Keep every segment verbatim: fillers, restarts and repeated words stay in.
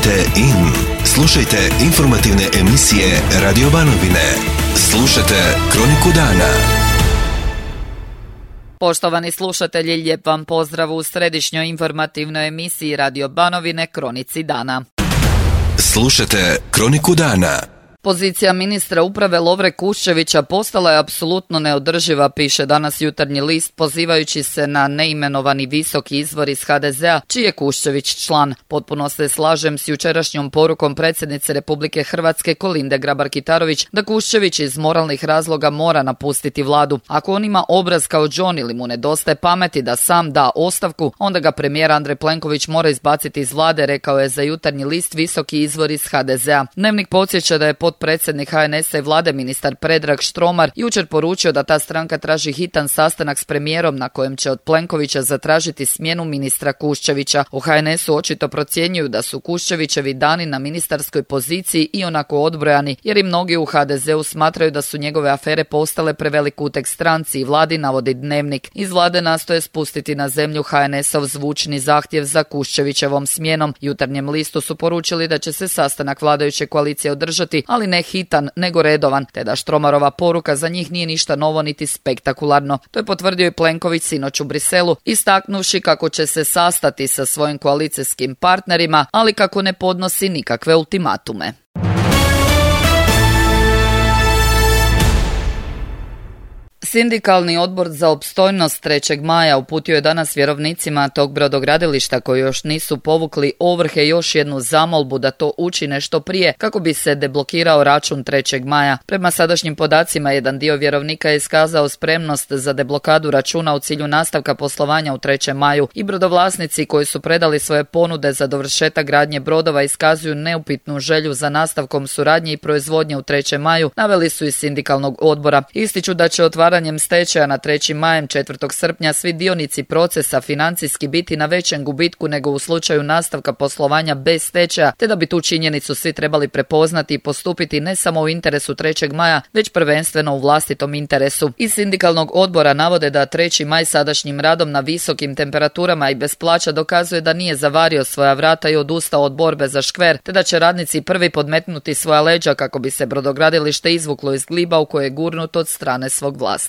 Kliknite in. Slušajte informativne emisije Radio Banovine. Slušajte Kroniku dana. Poštovani slušatelji, lijep vam pozdrav u središnjoj informativnoj emisiji Radio Banovine Kronici dana. Slušajte Kroniku dana. Pozicija ministra uprave Lovre Kuščevića postala je apsolutno neodrživa, piše danas Jutarnji list, pozivajući se na neimenovani visoki izvor iz ha de zea, čiji je Kuščević član. Potpuno se slažem s jučerašnjom porukom predsjednice Republike Hrvatske Kolinde Grabar-Kitarović da Kuščević iz moralnih razloga mora napustiti vladu. Ako on ima obraz kao John ili mu nedostaje pameti da sam da ostavku, onda ga premijer Andrej Plenković mora izbaciti iz vlade, rekao je za Jutarnji list visoki izvor iz ha de zea. Dnevnik podsjeća da je potpredsjednik ha en esa i vlade ministar Predrag Štromar jučer poručio da ta stranka traži hitan sastanak s premijerom na kojem će od Plenkovića zatražiti smjenu ministra Kuščevića. U ha en esu očito procjenjuju da su Kuščevićevi dani na ministarskoj poziciji i onako odbrojani, jer i mnogi u ha de zeu smatraju da su njegove afere postale prevelik uteg stranci i vladi, navodi Dnevnik. Iz vlade nastoje spustiti na zemlju ha en esov zvučni zahtjev za Kuščevićevom smjenom. Jutarnjem listu su poručili da će se sastanak vladajuće koalicije održati, ali ne hitan, nego redovan, te da Štromarova poruka za njih nije ništa novo niti spektakularno. To je potvrdio i Plenković sinoć u Briselu, istaknuvši kako će se sastati sa svojim koalicijskim partnerima, ali kako ne podnosi nikakve ultimatume. Sindikalni odbor za opstojnost trećeg maja uputio je danas vjerovnicima tog brodogradilišta koji još nisu povukli ovrhe još jednu zamolbu da to učine što prije kako bi se deblokirao račun trećeg maja. Prema sadašnjim podacima, jedan dio vjerovnika je iskazao spremnost za deblokadu računa u cilju nastavka poslovanja u trećem maju i brodovlasnici koji su predali svoje ponude za dovršetak gradnje brodova iskazuju neupitnu želju za nastavkom suradnje i proizvodnje u trećem maju, naveli su iz sindikalnog odbora. Ističu da će otvaranje stečaja na trećim majem četvrtog srpnja svi dionici procesa financijski biti na većem gubitku nego u slučaju nastavka poslovanja bez stečaja, te da bi tu činjenicu svi trebali prepoznati i postupiti ne samo u interesu trećeg maja, već prvenstveno u vlastitom interesu. Iz sindikalnog odbora navode da treći maj sadašnjim radom na visokim temperaturama i bez plaća dokazuje da nije zavario svoja vrata i odustao od borbe za škver, te da će radnici prvi podmetnuti svoja leđa kako bi se brodogradilište izvuklo iz gliba u koje je gurnut od strane svog vlasnika.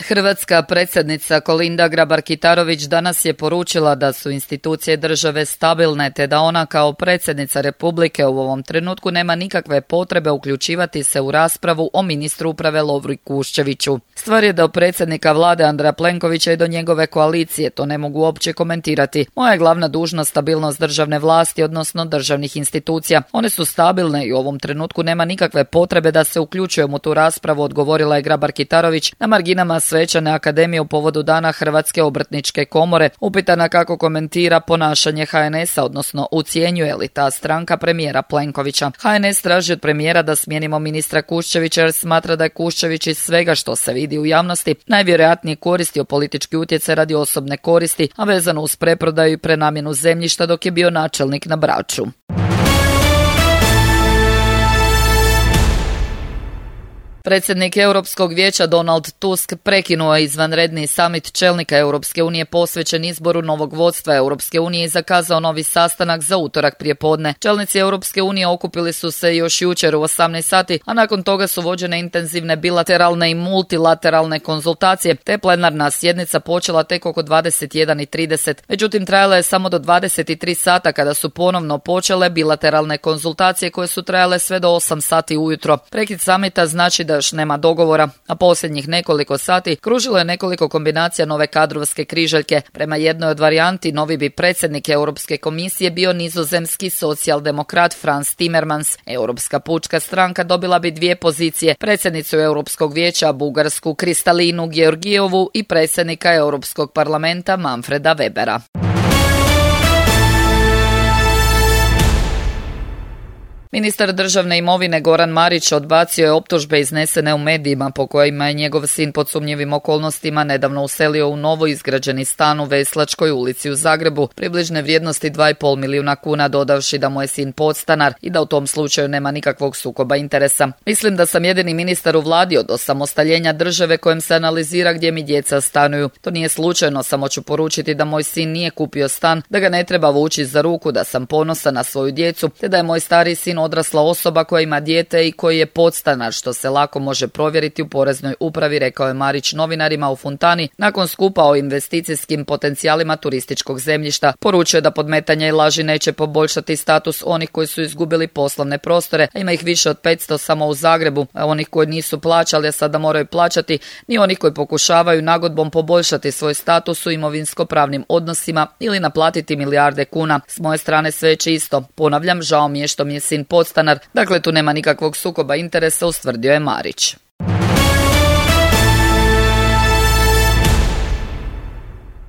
Hrvatska predsjednica Kolinda Grabar-Kitarović danas je poručila da su institucije države stabilne, te da ona kao predsjednica Republike u ovom trenutku nema nikakve potrebe uključivati se u raspravu o ministru uprave Lovri Kuščeviću. Stvar je do predsjednika vlade Andreja Plenkovića i do njegove koalicije, to ne mogu uopće komentirati. Moja je glavna dužnost stabilnost državne vlasti, odnosno državnih institucija. One su stabilne i u ovom trenutku nema nikakve potrebe da se uključujemo u tu raspravu, odgovorila je Grabar-Kitarović na marginama Svečane akademije u povodu dana Hrvatske obrtničke komore. Upitana kako komentira ponašanje ha en esa, odnosno ucjenjuje li ta stranka premijera Plenkovića. ha en es traži od premijera da smijenimo ministra Kuščevića jer smatra da je Kuščević iz svega što se vidi u javnosti najvjerojatnije koristio politički utjecaj radi osobne koristi, a vezano uz preprodaju i prenamjenu zemljišta dok je bio načelnik na Braču. Predsjednik Europskog vijeća Donald Tusk prekinuo je izvanredni samit čelnika Europske unije posvećen izboru novog vodstva Europske unije i zakazao novi sastanak za utorak prijepodne. Čelnici Europske unije okupili su se još jučer u osamnaest sati, a nakon toga su vođene intenzivne bilateralne i multilateralne konzultacije, te plenarna sjednica počela tek oko dvadeset jedan i trideset. Međutim, trajala je samo do dvadeset tri sata kada su ponovno počele bilateralne konzultacije koje su trajale sve do osam sati ujutro. Prekid samita znači da još nema dogovora, a posljednjih nekoliko sati kružilo je nekoliko kombinacija nove kadrovske križaljke. Prema jednoj od varijanti, novi bi predsjednik Europske komisije bio nizozemski socijaldemokrat Frans Timmermans. Europska pučka stranka dobila bi dvije pozicije, predsjednicu Europskog vijeća Bugarsku Kristalinu Georgijevu i predsjednika Europskog parlamenta Manfreda Webera. Ministar državne imovine Goran Marić odbacio je optužbe iznesene u medijima po kojima je njegov sin pod sumnjivim okolnostima nedavno uselio u novo izgrađeni stan u Veslačkoj ulici u Zagrebu, približne vrijednosti dva i pol milijuna kuna, dodavši da mu je sin podstanar i da u tom slučaju nema nikakvog sukoba interesa. Mislim da sam jedini ministar u vladi od osamostaljenja države kojem se analizira gdje mi djeca stanuju. To nije slučajno, samo ću poručiti da moj sin nije kupio stan, da ga ne treba vući za ruku, da sam ponosan na svoju djecu, te da je moj stariji sin odrasla osoba koja ima dijete i koji je podstanar, što se lako može provjeriti u poreznoj upravi, rekao je Marić novinarima u Fontani nakon skupa o investicijskim potencijalima turističkog zemljišta. Poručuje da podmetanja i laži neće poboljšati status onih koji su izgubili poslovne prostore, a ima ih više od petsto samo u Zagrebu, a onih koji nisu plaćali, a sada moraju plaćati, ni onih koji pokušavaju nagodbom poboljšati svoj status u imovinsko-pravnim odnosima ili naplatiti milijarde kuna. S moje strane sve je čisto. Ponavljam, žao mi je što mi je sin podstanar, dakle tu nema nikakvog sukoba interesa, ustvrdio je Marić.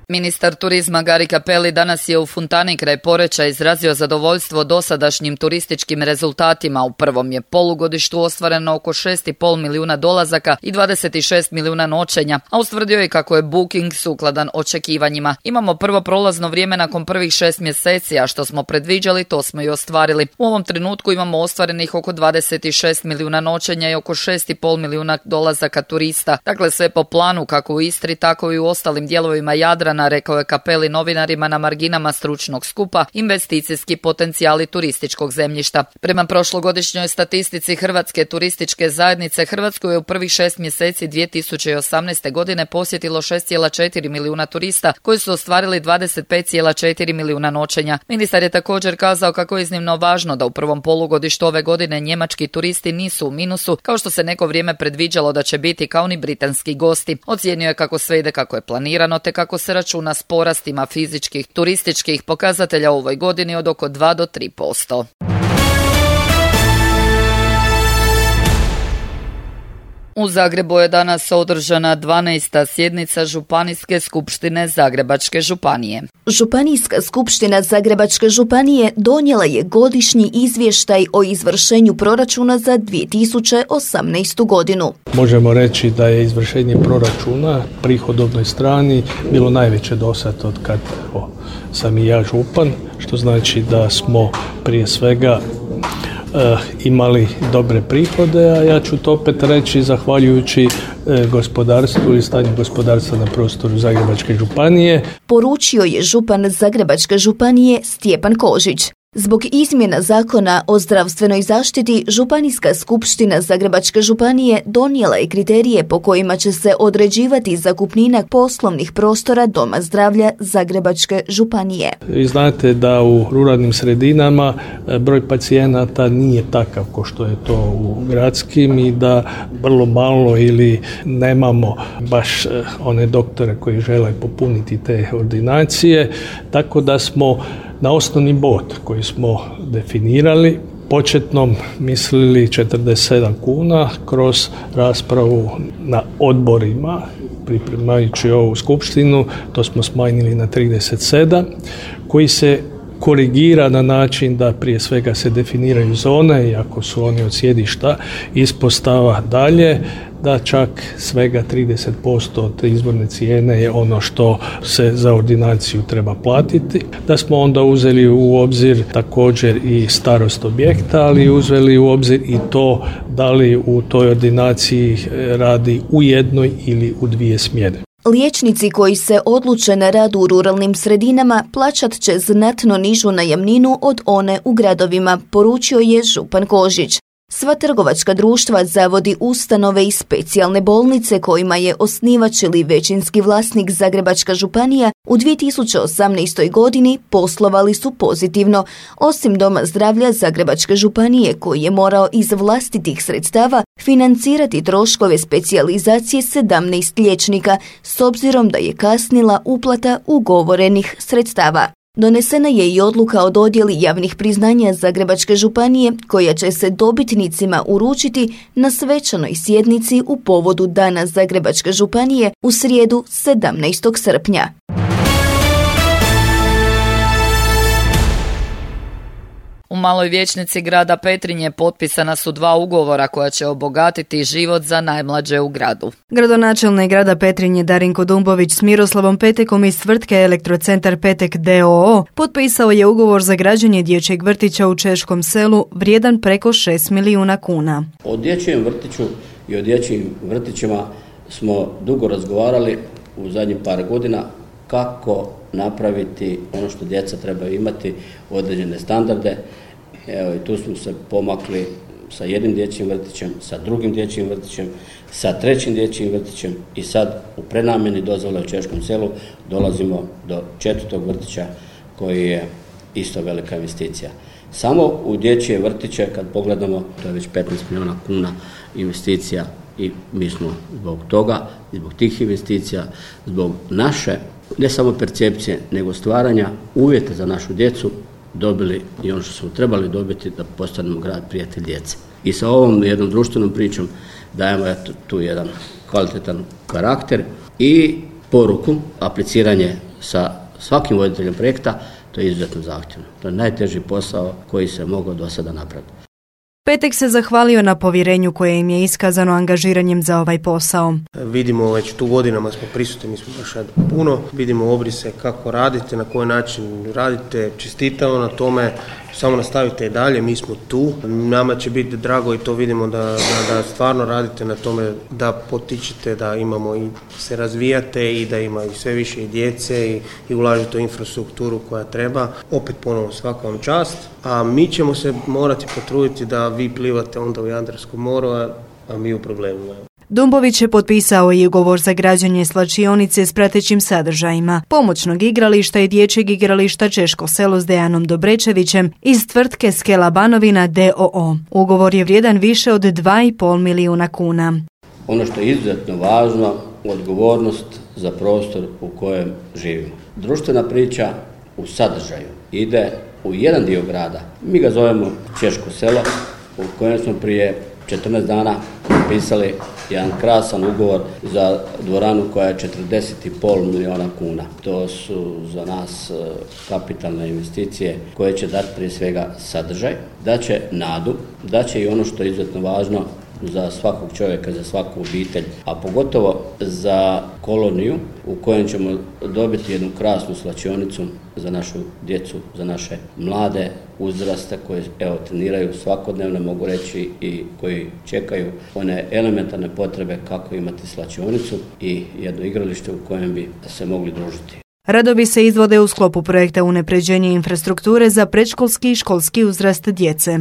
Ministar turizma Gari Cappelli danas je u Fontani kraj Poreča izrazio zadovoljstvo dosadašnjim turističkim rezultatima. U prvom je polugodištu ostvareno oko šest i pol milijuna dolazaka i dvadeset šest milijuna noćenja, a ustvrdio je kako je booking sukladan očekivanjima. Imamo prvo prolazno vrijeme nakon prvih šest mjeseci, a što smo predviđali to smo i ostvarili. U ovom trenutku imamo ostvarenih oko dvadeset šest milijuna noćenja i oko šest i pol milijuna dolazaka turista. Dakle sve po planu kako u Istri tako i u ostalim dijelovima Jadrana, rekao je Cappelli novinarima na marginama stručnog skupa Investicijski potencijali turističkog zemljišta. Prema prošlogodišnjoj statistici Hrvatske turističke zajednice, Hrvatsku je u prvih šest mjeseci dvije tisuće osamnaeste. godine posjetilo šest zarez četiri milijuna turista koji su ostvarili dvadeset pet zarez četiri milijuna noćenja. Ministar je također kazao kako je iznimno važno da u prvom polugodištu ove godine njemački turisti nisu u minusu, kao što se neko vrijeme predviđalo da će biti, kao ni britanski gosti. Ocijenio je kako sve ide kako je planirano te kako se računa s porastima fizičkih turističkih pokazatelja u ovoj godini od oko dva do tri posto. U Zagrebu je danas održana dvanaesta sjednica Županijske skupštine Zagrebačke županije. Županijska skupština Zagrebačke županije donijela je godišnji izvještaj o izvršenju proračuna za dvije tisuće osamnaestu. godinu. Možemo reći da je izvršenje proračuna prihodovnoj strani bilo najveće dosad od kad o, sam i ja župan, što znači da smo prije svega E, imali dobre prihode, a ja ću to opet reći zahvaljujući e, gospodarstvu i stanju gospodarstva na prostoru Zagrebačke županije. Poručio je župan Zagrebačke županije Stjepan Kožić. Zbog izmjena zakona o zdravstvenoj zaštiti, Županijska skupština Zagrebačke županije donijela je kriterije po kojima će se određivati zakupnina poslovnih prostora Doma zdravlja Zagrebačke županije. Vi znate da u ruralnim sredinama broj pacijenata nije takav kao što je to u gradskim i da vrlo malo ili nemamo baš one doktore koji žele popuniti te ordinacije, tako da smo na osnovni bod koji smo definirali početnom mislili četrdeset sedam kuna kroz raspravu na odborima. Pripremajući ovu skupštinu to smo smanjili na trideset sedam koji se korigira na način da prije svega se definiraju zone, iako su oni od sjedišta ispostava dalje, da čak svega trideset posto od izborne cijene je ono što se za ordinaciju treba platiti. Da smo onda uzeli u obzir također i starost objekta, ali uzeli u obzir i to da li u toj ordinaciji radi u jednoj ili u dvije smjene. Liječnici koji se odluče na rad u ruralnim sredinama plaćat će znatno nižu najamninu od one u gradovima, poručio je župan Kožić. Sva trgovačka društva, zavodi, ustanove i specijalne bolnice kojima je osnivač ili većinski vlasnik Zagrebačka županija u dvije tisuće osamnaestoj. godini poslovali su pozitivno, osim Doma zdravlja Zagrebačke županije koji je morao iz vlastitih sredstava financirati troškove specijalizacije sedamnaest liječnika s obzirom da je kasnila uplata ugovorenih sredstava. Donesena je i odluka o dodjeli javnih priznanja Zagrebačke županije koja će se dobitnicima uručiti na svečanoj sjednici u povodu Dana Zagrebačke županije u srijedu sedamnaestog srpnja. U Maloj vijećnici grada Petrinje potpisana su dva ugovora koja će obogatiti život za najmlađe u gradu. Gradonačelnik grada Petrinje Darinko Dumbović s Miroslavom Petekom iz tvrtke Elektrocentar Petek d o o potpisao je ugovor za građenje dječjeg vrtića u Češkom Selu vrijedan preko šest milijuna kuna. O dječjem vrtiću i o dječjim vrtićima smo dugo razgovarali u zadnjih par godina kako napraviti ono što djeca trebaju imati, određene standarde. Evo i tu smo se pomakli sa jednim dječjim vrtićem, sa drugim dječjim vrtićem, sa trećim dječjim vrtićem i sad u prenamjeni dozvole u Češkom Selu dolazimo do četvrtog vrtića koji je isto velika investicija. Samo u dječje vrtiće kad pogledamo to je već petnaest milijuna kuna investicija i mi smo zbog toga, zbog tih investicija, zbog naše ne samo percepcije nego stvaranja uvjeta za našu djecu dobili i ono što smo trebali dobiti da postanemo grad prijatelj djece. I sa ovom jednom društvenom pričom dajemo tu jedan kvalitetan karakter i poruku, apliciranje sa svakim voditeljem projekta, to je izuzetno zahtjevno. To je najteži posao koji se mogao do sada napraviti. Petek se zahvalio na povjerenju koje im je iskazano angažiranjem za ovaj posao. Vidimo već tu godinama smo prisutni, mi smo baš puno, vidimo obrise kako radite, na koji način radite, čestitamo na tome, samo nastavite i dalje, mi smo tu. Nama će biti drago i to vidimo da, da, da stvarno radite na tome da potičete, da imamo i se razvijate i da ima i sve više i djece i, i ulažete u infrastrukturu koja treba. Opet ponovno svaka vam čast, a mi ćemo se morati potruditi da vi plivate onda u Jadranskom moru, a, a mi u problemu. Dumbović je potpisao i ugovor za građenje slačionice s pratećim sadržajima, pomoćnog igrališta i dječjeg igrališta Češko Selo s Dejanom Dobrečevićem iz tvrtke Skela Banovina d o o. Ugovor je vrijedan više od dva i pol milijuna kuna. Ono što je izuzetno važno, odgovornost za prostor u kojem živimo. Društvena priča u sadržaju ide u jedan dio grada. Mi ga zovemo Češko Selo, u kojem smo prije četrnaest dana potpisali jedan krasan ugovor za dvoranu koja je četrdeset i pol milijuna kuna. To su za nas kapitalne investicije koje će dati prije svega sadržaj, da će nadu, da će i ono što je izuzetno važno za svakog čovjeka, za svaku obitelj, a pogotovo za koloniju u kojem ćemo dobiti jednu krasnu slačionicu za našu djecu, za naše mlade uzraste koje evo treniraju svakodnevno, mogu reći, i koji čekaju one elementarne potrebe kako imati slačionicu i jedno igralište u kojem bi se mogli družiti. Radovi se izvode u sklopu projekta unapređenja infrastrukture za predškolski i školski uzrast djece.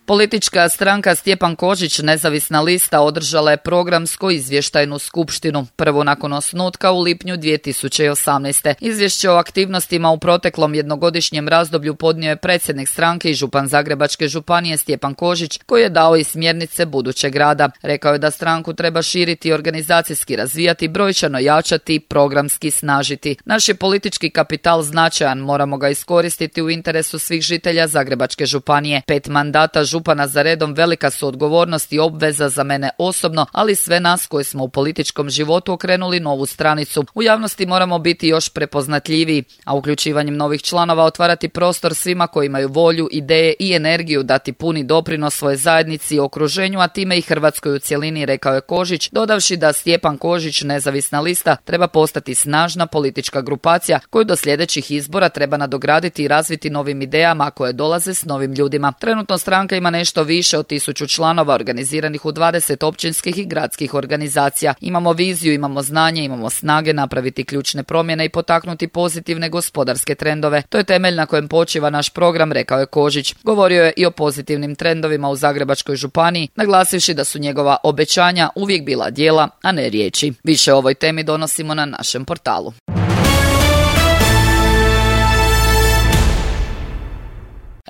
Politička stranka Stjepan Kožić, nezavisna lista, održala je programsko-izvještajnu skupštinu, prvo nakon osnutka u lipnju dvije tisuće osamnaeste. Izvješće o aktivnostima u proteklom jednogodišnjem razdoblju podnio je predsjednik stranke i župan Zagrebačke županije Stjepan Kožić, koji je dao i smjernice budućeg rada. Rekao je da stranku treba širiti i organizacijski razvijati, brojčano jačati i programski snažiti. Naš je politički kapital značajan, moramo ga iskoristiti u interesu svih žitelja Zagrebačke županije. Pet mandata župana za redom velika su odgovornost i obveza za mene osobno, ali sve nas koji smo u političkom životu okrenuli novu stranicu. U javnosti moramo biti još prepoznatljiviji, a uključivanjem novih članova otvarati prostor svima koji imaju volju, ideje i energiju dati puni doprinos svoje zajednici i okruženju, a time i Hrvatskoj u cjelini, rekao je Kožić, dodavši da Stjepan Kožić, nezavisna lista, treba postati snažna politička grupacija koju do sljedećih izbora treba nadograditi i razviti novim idejama koje dolaze s novim ljudima. Trenutno stranka ima nešto više od tisuću članova organiziranih u dvadeset općinskih i gradskih organizacija. Imamo viziju, imamo znanje, imamo snage napraviti ključne promjene i potaknuti pozitivne gospodarske trendove. To je temelj na kojem počiva naš program, rekao je Kožić. Govorio je i o pozitivnim trendovima u Zagrebačkoj županiji, naglasivši da su njegova obećanja uvijek bila djela, a ne riječi. Više o ovoj temi donosimo na našem portalu.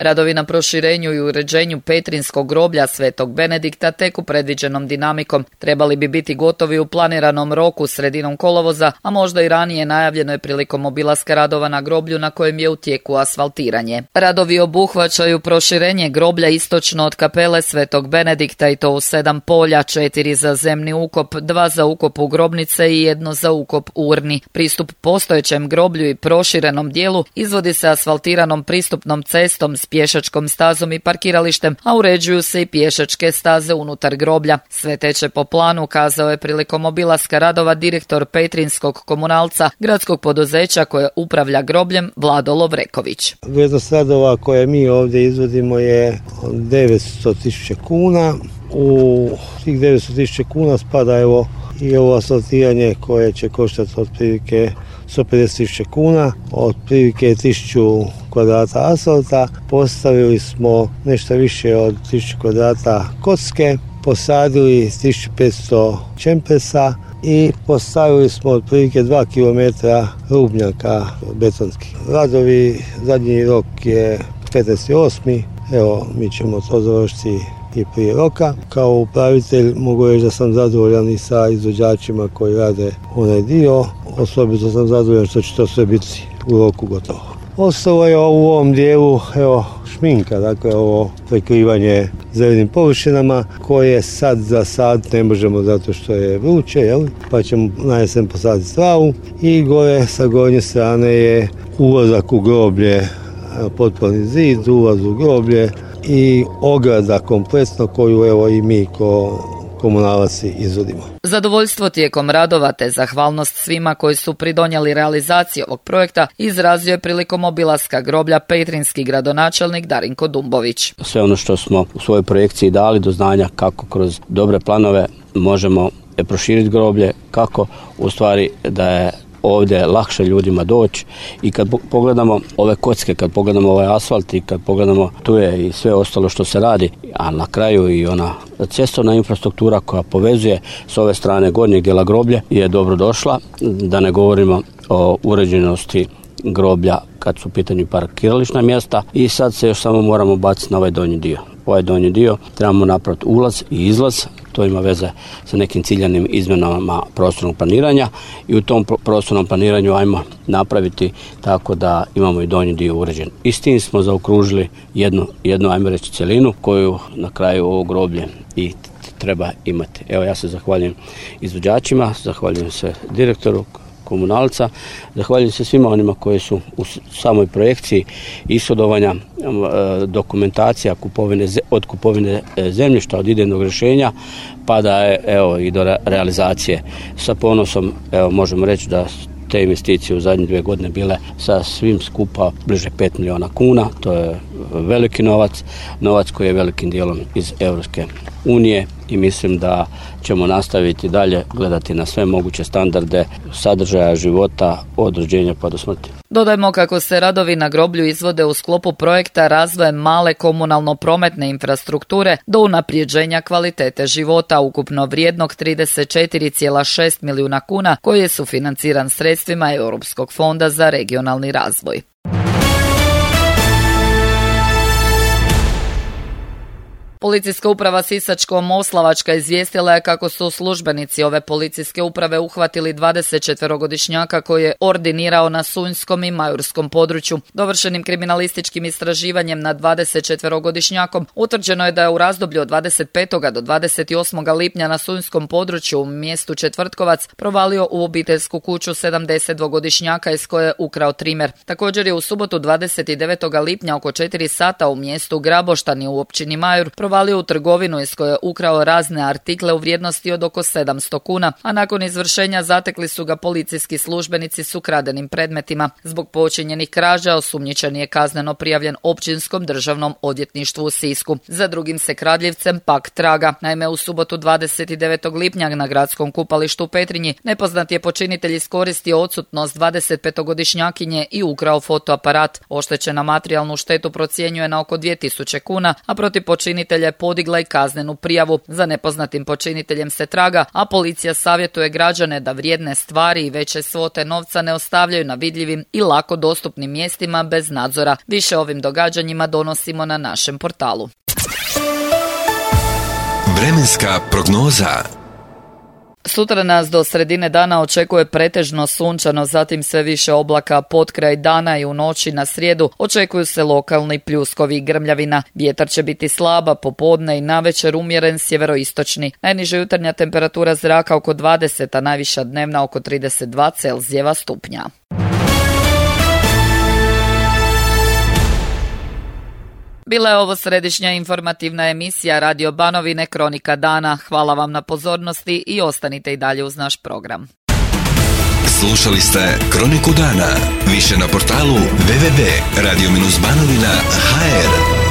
Radovi na proširenju i uređenju Petrinskog groblja Svetog Benedikta teku predviđenom dinamikom. Trebali bi biti gotovi u planiranom roku sredinom kolovoza, a možda i ranije, najavljeno je prilikom obilaska radova na groblju na kojem je u tijeku asfaltiranje. Radovi obuhvaćaju proširenje groblja istočno od kapele Svetog Benedikta i to u sedam polja, četiri za zemni ukop, dva za ukop u grobnice i jedno za ukop u urni. Pristup postojećem groblju i proširenom dijelu izvodi se asfaltiranom pristupnom cestom s pješačkom stazom i parkiralištem, a uređuju se i pješačke staze unutar groblja. Sve teče po planu, kazao je prilikom obilaska radova direktor Petrinskog komunalca, gradskog poduzeća koje upravlja grobljem, Vlado Lovreković. Vrijednost radova koje mi ovdje izvodimo je devetsto tisuća kuna. U tih devetsto tisuća kuna spada evo i ovo asfaltiranje koje će koštati otprilike sto pedeset tisuća kuna, otprilike tisuću kvadrata asfalta. Postavili smo nešto više od tisuću kvadrata kocke, posadili tisuću petsto čempesa i postavili smo otprilike dva kilometra rubnjaka betonskih. Radovi, zadnji rok je petnaesti osmi Evo, mi ćemo to završiti i prije roka. Kao upravitelj mogu reći da sam zadovoljan i sa izvođačima koji rade onaj dio. Osobito sam zadovoljan što će to sve biti u roku gotovo. Ostalo je u ovom dijelu evo, šminka, dakle ovo prekrivanje zelenim površinama koje sad za sad ne možemo zato što je vruće, jel? Pa ćemo na jesen posaditi travu i gore sa gornje strane je ulazak u groblje, potporni zid, ulaz u groblje i ograda kompletno koju evo i mi ko komunalaci izvodimo. Zadovoljstvo tijekom radova te zahvalnost svima koji su pridonijeli realizaciji ovog projekta izrazio je prilikom obilaska groblja petrinski gradonačelnik Darinko Dumbović. Sve ono što smo u svojoj projekciji dali do znanja kako kroz dobre planove možemo proširiti groblje, kako u stvari da je ovdje lakše ljudima doći i kad pogledamo ove kocke, kad pogledamo ovaj asfalt i kad pogledamo tu je i sve ostalo što se radi, a na kraju i ona cestovna infrastruktura koja povezuje s ove strane gornjeg dijela groblje je dobro došla, da ne govorimo o uređenosti groblja kad su u pitanju parkirališna mjesta i sad se još samo moramo baciti na ovaj donji dio. Ovaj donji dio trebamo napraviti ulaz i izlaz, to ima veze sa nekim ciljanim izmjenama prostornog planiranja i u tom prostornom planiranju ajmo napraviti tako da imamo i donji dio uređen. I s tim smo zaokružili jednu, jednu ajmo reći cjelinu koju na kraju ovo groblje i treba imati. Evo ja se zahvaljujem izvođačima, zahvaljujem se direktoru komunalca, zahvaljujem se svima onima koji su u samoj projekciji ishodovanja dokumentacija kupovine, od kupovine zemljišta, od idejnog rješenja pa da je evo i do realizacije. Sa ponosom evo možemo reći da te investicije u zadnje dvije godine bile sa svim skupa bliže pet milijuna kuna. To je veliki novac, novac koji je velikim dijelom iz Europske unije i mislim da ćemo nastaviti dalje gledati na sve moguće standarde sadržaja života od rođenja pa do smrti. Dodajmo kako se radovi na groblju izvode u sklopu projekta razvoja male komunalno-prometne infrastrukture do unaprijeđenja kvalitete života ukupno vrijednog trideset četiri zarez šest milijuna kuna koji je sufinanciran sredstvima Europskog fonda za regionalni razvoj. Policijska uprava Sisačko-Moslavačka izvijestila je kako su službenici ove policijske uprave uhvatili dvadesetčetverogodišnjaka koji je ordinirao na Sunjskom i Majurskom području. Dovršenim kriminalističkim istraživanjem nad dvadesetčetverogodišnjakom utvrđeno je da je u razdoblju od dvadeset petog do dvadeset osmog lipnja na Sunjskom području u mjestu Četvrtkovac provalio u obiteljsku kuću sedamdesetdvogodišnjaka iz koje je ukrao trimer. Također je u subotu dvadeset devetog lipnja oko četiri sata u mjestu Graboštani u općini Majur provalio u trgovinu iz koje je ukrao razne artikle u vrijednosti od oko sedamsto kuna, a nakon izvršenja zatekli su ga policijski službenici s ukradenim predmetima. Zbog počinjenih krađa osumnjičeni je kazneno prijavljen Općinskom državnom odvjetništvu u Sisku. Za drugim se kradljivcem pak traga. Naime, u subotu dvadeset devetog lipnja na gradskom kupalištu u Petrinji nepoznati je počinitelj iskoristio odsutnost dvadesetpetogodišnjakinje i ukrao fotoaparat. Oštećena materijalnu štetu procjenjuje na oko dvije tisuće kuna, a protiv počinitelja počinitelja podigla i kaznenu prijavu. Za nepoznatim počiniteljem se traga, a policija savjetuje građane da vrijedne stvari i veće svote novca ne ostavljaju na vidljivim i lako dostupnim mjestima bez nadzora. Više o ovim događanjima donosimo na našem portalu. Vremenska prognoza. Sutra nas do sredine dana očekuje pretežno sunčano, zatim sve više oblaka pod kraj dana i u noći na srijedu očekuju se lokalni pljuskovi i grmljavina. Vjetar će biti slaba, popodne i navečer umjeren sjeveroistočni. Najniža jutarnja temperatura zraka oko dvadeset, a najviša dnevna oko trideset dva Celzijeva stupnja. Bila je ovo središnja informativna emisija Radio Banovine Kronika dana. Hvala vam na pozornosti i ostanite i dalje uz naš program. Slušali ste Kroniku dana. Više na portalu w w w tačka radio banovina tačka h r.